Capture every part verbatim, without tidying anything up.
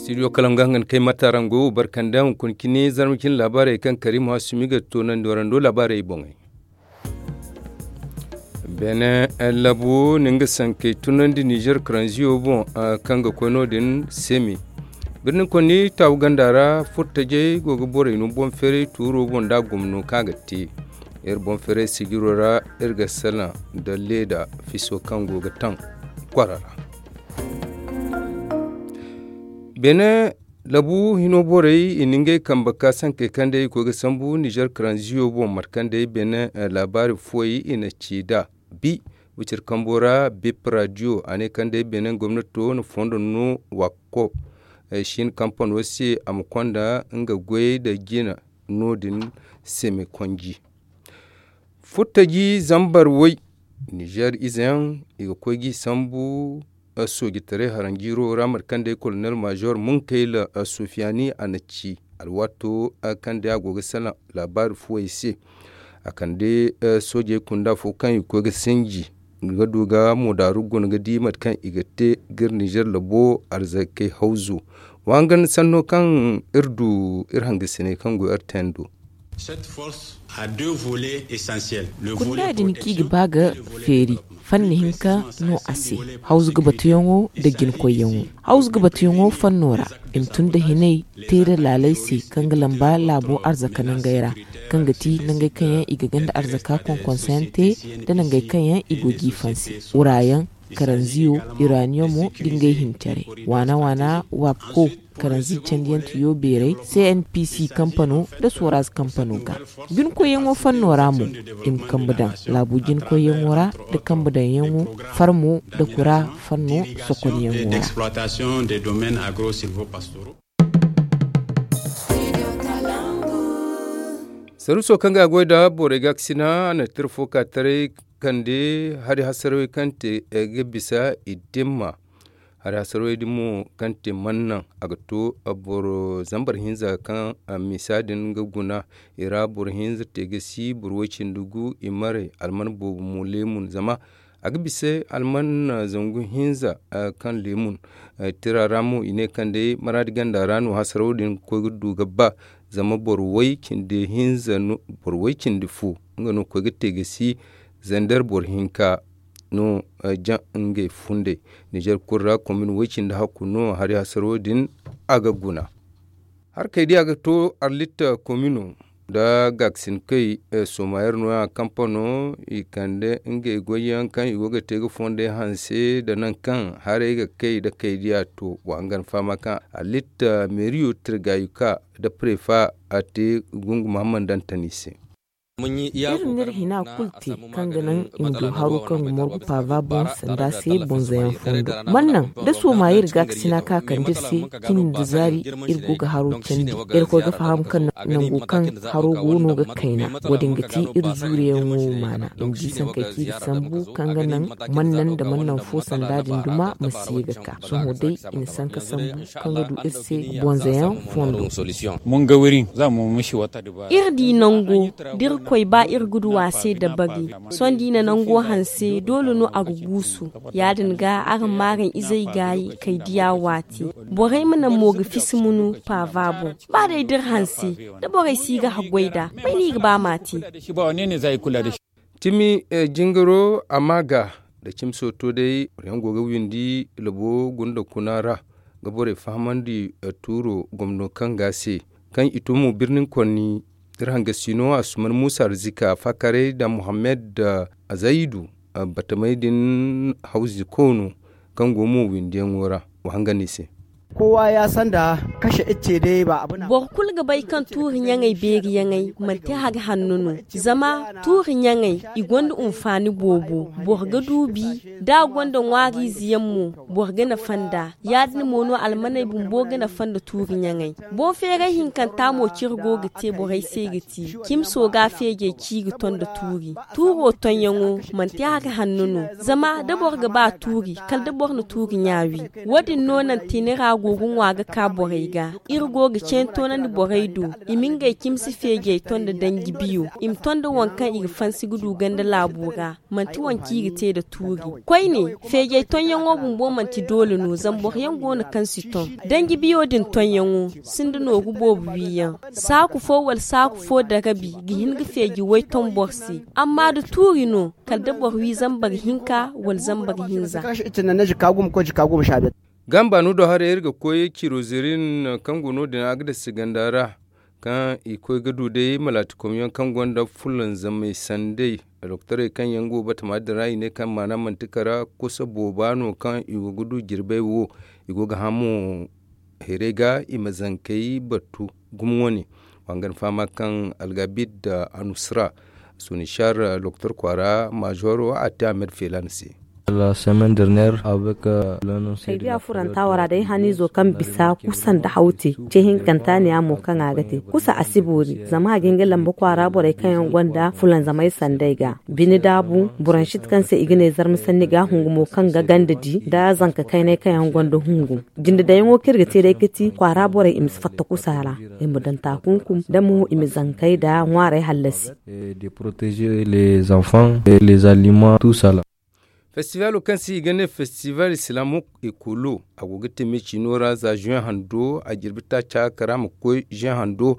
Studio kalangu hangan kay matarango barkanda hunkuna cine zarma cine laabaarey kaŋ karim hasumi ga toonandi warando laabaarey boŋey. Beene labu na nga sankey tunandi nizer karanziyo boŋ, kaŋ ga koy no- din semi birni konni taawu ganda ra furtajey go ga borey no boŋ feeray tuuro boŋ nda gomno kaŋ a ga te. Iri boŋ feeray sijiro ra iri ga salaŋ nda leeda fiso kaŋ go ga taŋ kwara ra. Beene labu hino borey i na ngey kambe ka sankey kaŋ day i koy ga sambu nizer karanziyo boŋ mate kaŋ day beene laabaari fuwey i na ci nd'a. Bi wiciri kambo ra bip radiyo a ne kaŋ day beene gomnato na fondo no wakko shin kampano se a ma konda nga goyey nda jina no- din semi konji. Furtaji zambar way nizer ize yaŋ i ga koy ga i sambu soojitaray haranjiiro ra mate kaŋ day kolonel maazor munkayla sufiyani a na ci alwaato kaŋ day a go ga salaŋ laabaari fuwey se. A kande soojey kunda fo kaŋ i ga koy ga sinji ga du ga moodaaru guna ga di mate kaŋ i ga te ga iri nizer labo arzakey hawzu. Wa hangan sanno kaŋ iri du iri hangasiney kaŋ go iri tendo. Kunda din kaŋ i ga ba ga feeri fanni hinka no a se. Hawzu ga batuyaŋo nda jinkoyyaŋo hawzu ga batuyaŋo fanno ra i ma tun nda hinay te nda laaley se kaŋ ga lamba laabo arzaka nangey ra kaŋ ga ti nangey kaŋ yaŋ i ga ganda arzaka konkonsayaŋ te nda nangey kaŋ yaŋ i go ga i fansi wurayaŋ karanziyo iraniyomo nda ngey hincaray waana waana waako karanzi candiyaŋ tiyo beeray cnpc kampano nda soraz kampano ga. Jinkoyyaŋo fanno ra mo i ma kambe daŋ laabu jinkoyyaŋo ra nda kambe daŋyaŋo farmo nda kura fanno sokonyaŋo ra. Saruuso kaŋ ga a goy nda borey gaakasina a na tira fo ka taray kande hari hasarawey kaŋ te ga bisa i dimma. Hari hasarawey din mo kaŋ te mannaŋ a ga to boro zambar hinza kaŋ misa din ga guna i ra boro hinza te ga si boro way cindi gu i maray alman boobo mo leemun zama a ga bisa alman zangu hinza kaŋ leemun tira ra mo i ne kaŋ day maraadi ganda ra no hasaraw din ga koy ga du ga ba. Zama boro way cindi hinza boro way cindi fo nga no ga koy ga te ga si zander boro hinka no jaŋ ngey fundey. Nizer kulu ra komin way cindi hakku no hari hasaraw din a ga guna. Harkey di a ga to arlitta komino nda gaakasinkey sooma yer nooya kampano i kande ngey goyyaŋ kaŋ i go ga te ga fondey hanse nda nangu kaŋ haray ga kay nda kaydiya to wa hangan fahama kaŋ arlitta meeriyo tirgayuka nda prefa a te gungu mahamman dantani se. Iri n'iri hina kulu te kaŋ ga naŋ i ma du haro kaŋ ga morgu paava boŋ sanda se bonzayaŋ fondo. Man naŋ da sooma iri gaakasina ka kande iri se cindi nda zaari iri go ga haro candi. Iri koy ga faham kaŋ nango kaŋ haro go no ga kayna wo- din ga ti iri zuuriyaŋo maana i ma di sankey kaŋ i ga sambu kaŋ ga naŋ man naŋ nda man naŋ fo sanda din duma ma si ye ga ka sohõ day i na sanka sambu kaŋ ga du iri se bonzayaŋ fondo. Iri di nango da iri koy ba iri ga du a se dabari. Sohõ da i na nango hanse doole no a ga guusu. Ya- din ga araŋ ma araŋ izey gaayi kay diya waati. Borey ma naŋ mo ga fisi munu paava boŋ. Ba day da iri hanse da borey si ga haggoy nd'a may no i ga ba ma a te? Cimi jingaro a ma ga nda cimi sooto day boro yaŋ go ga windi labo gunda kuna ra ga borey fahamandi tuuro gomno kaŋ ga a se kaŋ i to mo birnin konni. Iri hangasino a suman muusa arzika faakaray nda muhammad azayidu batamey din hawzi koono kaŋ go mo windiyaŋo ra wa hangan i se. Kowa ya sanda kashe icce day ba abu na. Boro kulu ga bay kaŋ tuuri ɲaŋey beeri ɲaŋey manti hari hanno no. Zama tuuri ɲaŋey i gonda hunfaani boobo. Boro ga duubi da a gonda ŋwaariize yaŋ mo boro ga nafa nd'a. Ya- din mo no almaney bumbo ga nafa nda tuuri ɲaŋey. Boŋ feeray hinkanta mo cire go ga te borey se ga ti cimso ga feejey ci ga ton nda tuuri. Tuuro tonyaŋo manti hari hanno no. Zama da boro ga ba tuuri kala da boro na tuuri ɲa wi. Wo- din no naŋ teenera. Go ga ŋwa ga ka borey ga. Iri go ga ceeni toonandi borey do, i ma ngey cimsi feejey ton da danji biyo, i ma ton da waŋ kaŋ i ga fansi ga du ganda laabo ra. Manti waŋ kaŋ i ga te nda tuuri. Koyne, feejey tonyaŋo bumbo manti doole no, zama boro yaŋ go no kaŋ si ton. Danji biyo din tonyaŋo sinda nooru boobo wiiyaŋ. Saaku fo wala saaku fo darabi ga hin ga feeji way ton boro se. Amma da tuuri no, kala da boro wi zambar hinka wala zambar hinza. Gamba no do haray iri ga koy cirozirin kaŋ go no din a ga dasi ganda ra, kaŋ i koy ga du day malaatikomyaŋ kaŋ gonda fulanzamay sanday. Doktorey kaŋ yaŋ go batama din ra i ne kaŋ maana manti kara kusa booba no kaŋ i go ga du jirbey wo. I go ga hamo heerey ga i ma zankey battu gumo wane. Wa nga ni fahama kaŋ algabid da anusra, sunishar doktor kwaara maazoro a te ahmed felan se. Ay biya furanta wara day haniizo kaŋ bisa kusa nda hawte ce hinkanta ne a mo kaŋ a ga te kusa a si boori zama a ga hin ga lamba kwaara borey kaŋ yaŋ gonda fulanzamay sanday ga bine daabu buransit kaŋ se i ga ne zarma sanni ga hungu mo kaŋ ga ganda di nda zanka kaynay kaŋ yaŋ gonda hungu. Jinde dayaŋo kaŋ iri ga te day ga ti kwaara borey i ma si fatta kusa ra, i ma daŋ taakunkum da mo i ma zankey nda ŋwaarey hallasi. Festivaalo kaŋ se i ga ne festival islamuk ekolo a go ga te me ciino ra za juin hando a jirbi taaca kara ma koy juin hando.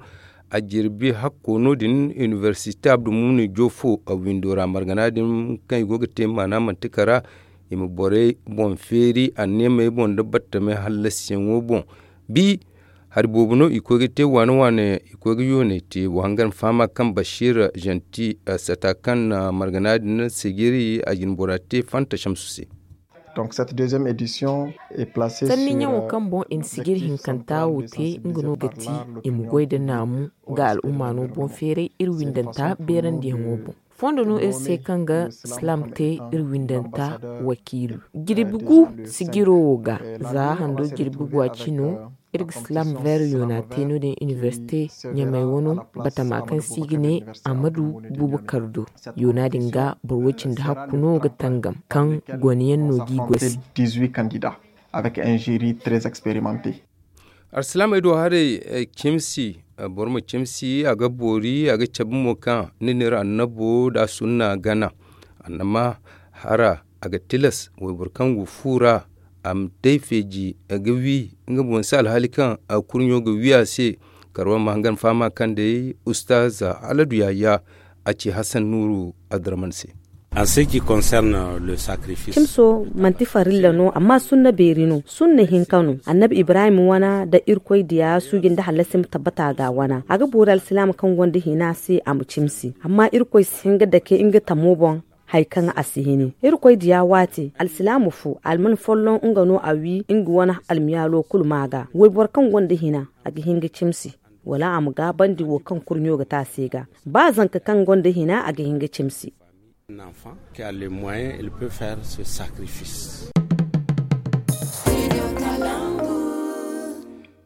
A jirbi hakko no- din iniversite abdulmumin jofo a windo ra margana din kaŋ i go ga te maana manti kara i ma borey boŋ feeri anneemey boŋ nda battamey hallasiyaŋo boŋ. Bi hari boobo no i koy ga te waane waane i koy ga yoonay te wa hangan fahama kaŋ bashir janti sata kaŋ na margana din sigiri a jinbora te fanta shamsu se. Sanni ɲaŋo kaŋ boŋ i na sigiri hinkanta wo te nga no ga ti i ma goy nda naamu ga al'umma no boŋ feeray iri windanta beerandiyaŋo boŋ. Fondo no iri se kaŋ ga silaam te iri windanta wakiilu jirbi gu sijiro wo ga za hando jirbi gu a cino. Iri ga silaam veer yoona te no- din iniversite ɲamay wano batama kaŋ se i ga ne amadu bubakar do. Yoona din ga boro way cindi hakku no ga tangam kaŋ gone yaŋ no g'i goy se. Alsilaamey do haray cimsi boro ma cimsi a ga boori a ga cabe mo kaŋ ni n'iri annabo nda sunna gana. Annama hara a ga tilas wayboro kaŋ go fu ra a ma day feeji ga wi nga boŋ se alhaali kaŋ kurɲo ga wi a se. Karwa ma hangan fahama kaŋ day ustaz aladu yaya a ci hasan nuuru adraman se. Cimso manti farilla no amma sunna beeri no sunna hinka no annabi ibrahim wana nda irkoy diya suuji nda hallasi ma tabbata ga wana a ga boori alsilaama kaŋ gonda hina se a ma cimsi amma irkoy si hin ga dake nga tamo boŋ. Hari kaŋ a si hini irkoy diya waati alsilaama fo alman folloŋ nga no a wi nga wane almiyaalo kulu ma ga wayboro kaŋ gonda hina a ga hin ga cimsi wala a ma gaabandi wo kaŋ kurɲo ga te a se ga ba zanka kaŋ gonda hina a ga hin ga cimsi.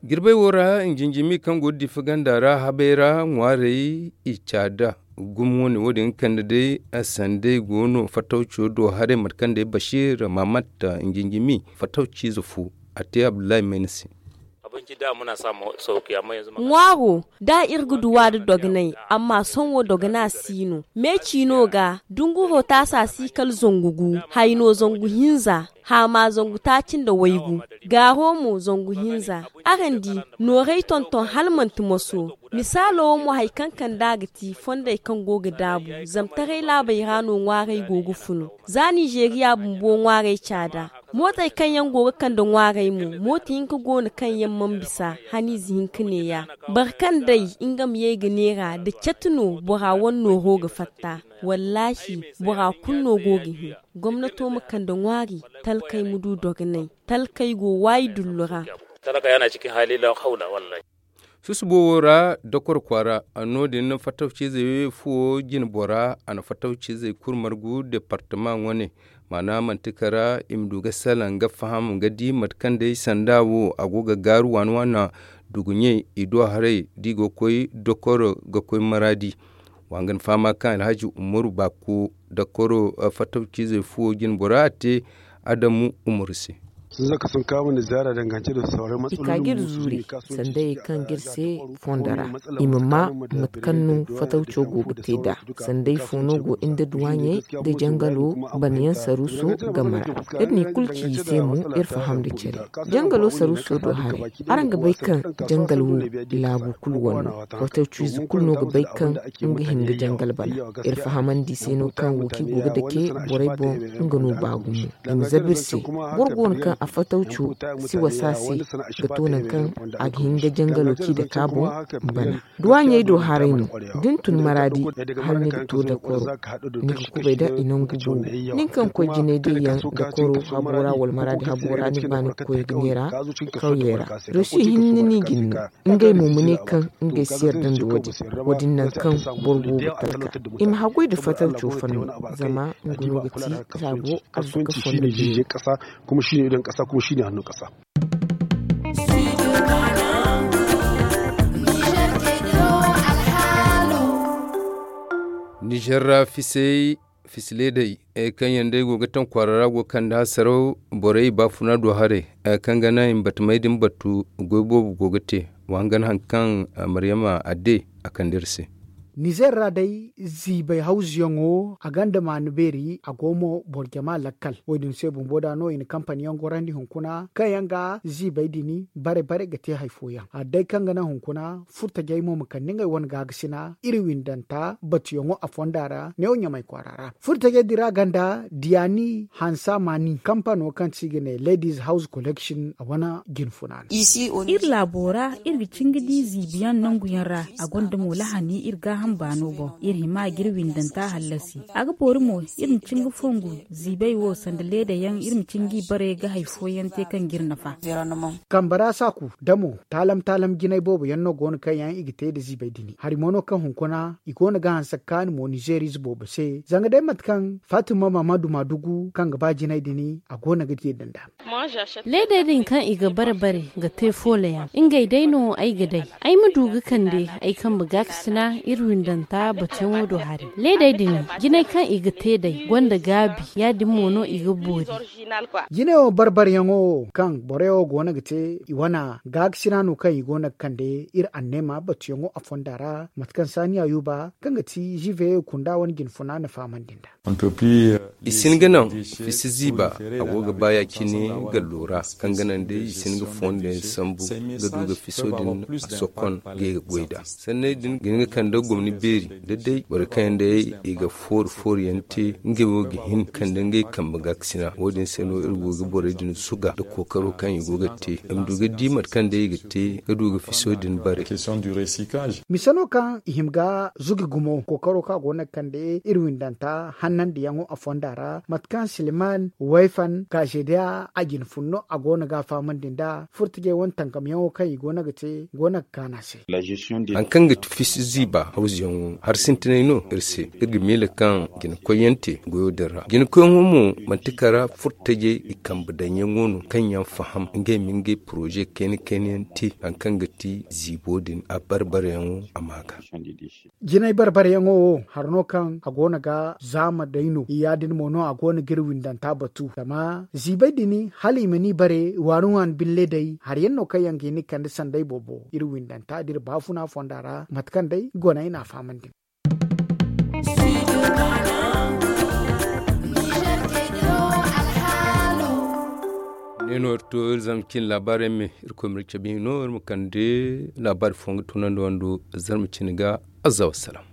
Jirbey wo ra njinjimi kaŋ go ga difa ganda ra habey ra ŋwaarey i caada gumo wane wo- din ga kande day sanday go no fattawco do haray mate kaŋ day bashir mamat njinjimi fattawciize fo a te abdullahi mayna se. Ŋwaaro da iri ga duwa nda dogonay amma sohõ dogonay si no me ciino ga dunguro taasa si kala zangu gu hayno zangu hinza haama zangu taaci nda waygu gaaro mo zangu hinza. Araŋ di nooray tonton hala manti moso. Misaalo wo mo hari kaŋ kand'a ga ti fondey kaŋ go ga daabu zama taray laabey ra no ŋwaaray go ga funu. Za nizeeriya bumbo ŋwaaray caada mootey kaŋ yaŋ go ga kande ŋwaaray mo mooto hinka go no kaŋ yaŋ mana bisa haniize hinka neeya. Boro kaŋ day nga ma ye ga neera nda catu no bora wane nooro ga fatta. Wallaahi bora kulu no go ga hin gomnato ma kande ŋwaari talkey ma du dogonay. Talkey go waayi dullu ra. Susubo wo ra dokor kwaara no- din fattawciizey fuwo jine bora a na fattawciizey kulu margu departama wane. Maana manti kara i ma du ga salaŋ ga faham ga di mate kaŋ day sanda wo a go ga gaaru waana waana. Duguɲey i do haray da i go ga koy dokoro ga koy maraadi. Wa nga ni fahama kaŋ alhaji umaru baako dokoro fattawciizey fuwo jine bora a te adamu umaru se. I ka ga iri zuuri sanda ye kaŋ ga iri se fondo ra. I ma maa mate kaŋ no fatawco go ga te nd'a. Sanda ifo no go nda duwaaɲey nda jangalo banayaŋ saruuso game ra. Iri n'i kulu ci i se mo iri faham nda care. Jangalo saruuso do haray, araŋ ga bay kaŋ jangal wo laabu kulu wane no. Fatawciize kulu no ga bay kaŋ nga hin ga jangal bana. Iri fahamandi i se no kaŋ wo kaŋ i go ga dake borey boŋ, nga no ba gumo. I ma zabu iri se. Boro go no kaŋ a fatawco si wasa se ga to nangu kaŋ a ga hin ga jangalo kaŋ i dake a boŋ bana. Duwaaɲey do haray no. Da ni tun maraadi, hala ni ga to dakoro, ni ga kubay da i nangu boobo. Nin kaŋ ga koy jinay day yaŋ dakoro habo ra wala maraadi habo ra, ni ga ba ni ga koy ga neera kawyey ra. Rosi hinne no i ga ni no. Ngey mo ma ne kaŋ ngey si yarda nda wo-din. Wo-din nangu kaŋ boro go ga talka, i ma haggoy nda fatawco fanno, zama nga no ga ti saago arzaka fondo beeri. Nizer ra fisey fisi leedey kaŋ yaŋ day go ga taŋ kwaara ra go ga kande hasaraw. Borey baafuna do haray kaŋ ga naŋ i ma batamey din batu. Goy boobo go ga te. Wa hangan hari kaŋ maryama adde a kande iri se. Nizer ra day ziibay hawzuyaŋo a gonda maanu beeri, a go mo boro jama lakkal. Wo-din se bumbo da no i na kampani yaŋ gorandi hunkuna kaŋ yaŋ ga ziibay din bare bare ga te hari fooyaŋ. Adde kaŋ ga naŋ hunkuna furtajey mo ma kande ngey wane gaakasina iri windanta batuyaŋo a fonda ra neewo ɲamay kwaara ra. Furtajey din ra ganda diyaani hansa maani kampano kaŋ se i ga ne ladies house collection a wane jinfuna no. Iri laabo ra iri ga cin ga di ziibiyaŋ nanguyaŋ ra. A gonda mo lahani iri gaaham baano boŋ. Iri hima ga iri windanta hallasi. A ga boori mo iri ma cin ga fongu ziibay wo sanda leeda yaŋ iri ma cin ga i bare ga hari fooyaŋ te kaŋ ga iri nafa. Kambe ra saaku damo taalam taalam jinay boobo yaŋ no go no kaŋ yaŋ i ga te nda ziibay din. Hari mo no kaŋ hunkuna i go no ga hanse ga kaanu mo nizeerize boobo se zanga day mate kaŋ fatima mamadu maadugu kaŋ ga ba jinay din a go no ga jeeda nd'a. Leedey din kaŋ i ga bare bare ga te foolayaŋ ngey day no ay ga day. Ay ma du ga kande ay kambe gaakasina iri windanta batuyaŋo do hari. Leedey din jinay kaŋ i ga te day gonda gaabi ya-din mo no i ga boori. Jinayo barbaryaŋo kaŋ boroyaŋo go no ga te i wane gaakasina no kaŋ i go no ga kande iri anneema batuyaŋo a fonda ra mate kaŋ saani ayuba kaŋ ga ti ziibayey kunda wane jinfuna na fahamandi nd'a. I si hin ga naŋ fisi ziiba a go ga ba ya-cine gallo ra kaŋ ga naŋ day i si hin ga fondo yaŋ sambu ga du ga fiso din a sokon ga ay ga goy nd'a. Sanney din ga hin ga kande gomni beeri da day borey kaŋ yaŋ day i ga foori foori yaŋ te ngey wo ga hin kande ngey kambe gaakasina. Wo-din se no iri go ga borey din zuga nda kookaro kaŋ i go ga te i ma du ga di mate kaŋ day i ga te ga du ga fiso din bare. Mise no kaŋ i hima ga zugi gumo kookaro kaŋ a go no ga kande iri windanta hannandiyaŋo a fonda ra mate kaŋ silman wayfan kazeediya a jina fun no a go no ga a fahamandi nd'a furtajey wane tankamyaŋo kaŋ i go no ga te go no ga kaanu a se. Hari kaŋ ga ti fisi ziiba hawzuyaŋo hari sintinay no iri se. Iri ga miila kaŋ jinakoyyaŋ te goyo din ra jinakoyyaŋo mo manti kara furtajey i kambe daŋyaŋo no kaŋ yaŋ faham ngey ma ngey poroze kayna kayna yaŋ te hari kaŋ ga ti ziibo din a barbaryaŋo a ma ga. Jinay barbaryaŋo wo hari no kaŋ a go no ga zaama day no ya-din mo no a go no ga iri windanta batu zama ziibay din hala i ma ni bare waani waani bille day hari yaŋ no kaŋ yaŋ ga hin ga kande sanday boobo iri windanta da iri baafuna fonda ra mate kaŋ day gona i na a fahamandi. Ne no iri to iri zarma cine laabaari yaŋ me iri koy ma iri cabe no iri ma kande laabaari fo ga tunandi wando zarma cine ga. Azza wassalam.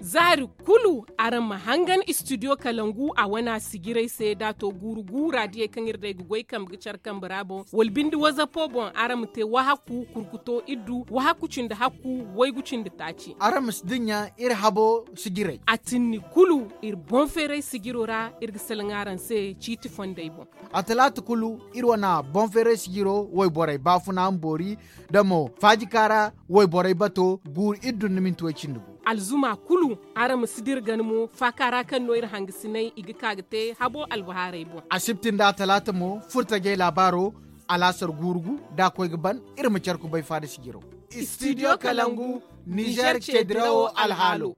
Zaari kulu araŋ ma hangan studio kalangu a wana sijiray se da a to guuru guura diyey kaŋ iri day ga goy kambe ga care kambe ra boŋ wala binde wazapo boŋ araŋ ma te wahakku kurkuto iddu wahakku cindi hakku waygu cindi taaci. Araŋ ma si dinya iri habo sijiray a tinni kulu iri boŋ feeray sijiro ra iri ga salaŋ araŋ se ciiti fondey boŋ. A talaata kulu iri wana boŋ feeray sijiro wayborey baafuna ma boori da mo faajika ra wayborey bato guuru iddu nda minti way cindi gu. Alzuma kulu araŋ ma si dira gana mo faaka ra kaŋ no iri hangasinay i ga ka ga te habo albahaarey boŋ. Asibti nda a talaata mo furtajey laabaaro alaasar guuru gu da a koy ga ban iri ma care kubay faada sijiro. Studio kalangu nizer ceedirawo alhaalo.